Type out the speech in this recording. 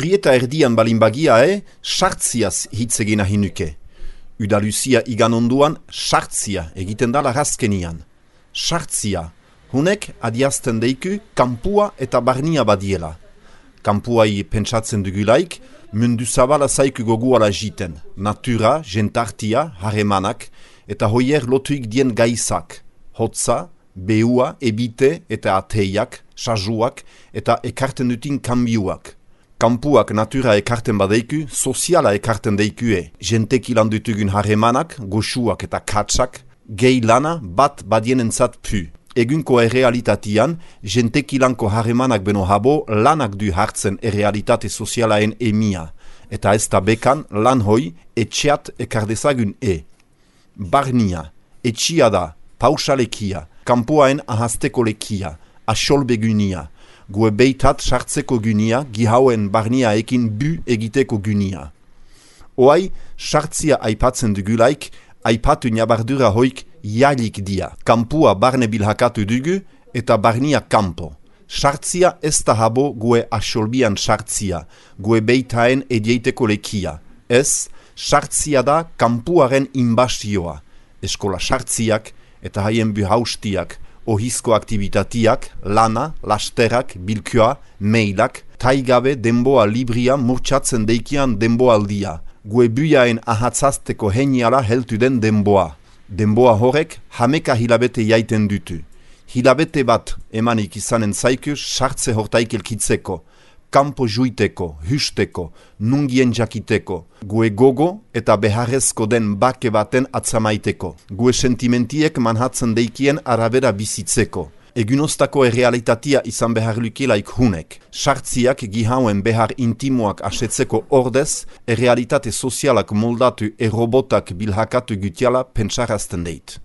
Urrieta erdian balinbagia sartziaz hitz egin nahi nuke. Udaluzia igan onduan sartzia egiten da larazkenian. Sartzia, hunek adiazten deiku kanpua eta barnia badiela. Kanpuai pentsatzen dugulaik, mundu zabala zaiku goguala jiten. Natura, jentartia, haremanak, eta hoier lotuik dien gaizak. Hotza, behua, ebite eta ateiak, sajuak eta ekarten dutin kanbiuak. Kanpuak natura ekarten badeiku, soziala ekarten deikue. Jentek ilan dutugun haremanak, goxuak eta katsak, gehi lana bat badienentzat pu. Egunko errealitatian, jentek ilanko haremanak beno habo lanak du hartzen errealitate sozialaen emia. Eta ez da bekan lan hoi etxeat ekardezagun Barnia, etxia da, pausalekia, kanpoaen ahazteko lekia, asolbegunia, gue beitat sartzeko gunia, gihauen barnia ekin bu egiteko gunia. Oai, sartzia aipatzen dugulaik, aipatu nabardura hoik jalik dia. Kampua barne bilhakatu dugu eta barnia kampo. Sartzia ez da habo gue asolbian sartzia, gue beitaen edieiteko lekia. Ez, sartzia da kampuaren inbastioa. Eskola sartziak eta haien buhaustiak, ohizko aktivitatiak, lana, lasterak, bilkua, mailak, taigabe denboa libria murtsatzen deikian denboaldia. Gue buiaen ahatzazteko heniala heltu den denboa. Denboa horrek hameka hilabete jaiten dutu. Hilabete bat emanik izanen zaiku sartze hortaik elkitzeko, kampo juiteko, husteko, nungien jakiteko, gue gogo eta beharrezko den bake baten atzamaiteko, gue sentimentiek manhatzen deikien arabera bizitzeko. Egunostako errealitatia izan behar lukelaik hunek. Sartziak gihauen behar intimoak asetzeko ordez, errealitate sozialak moldatu robotak bilhakatu gutiala pentsarazten deit.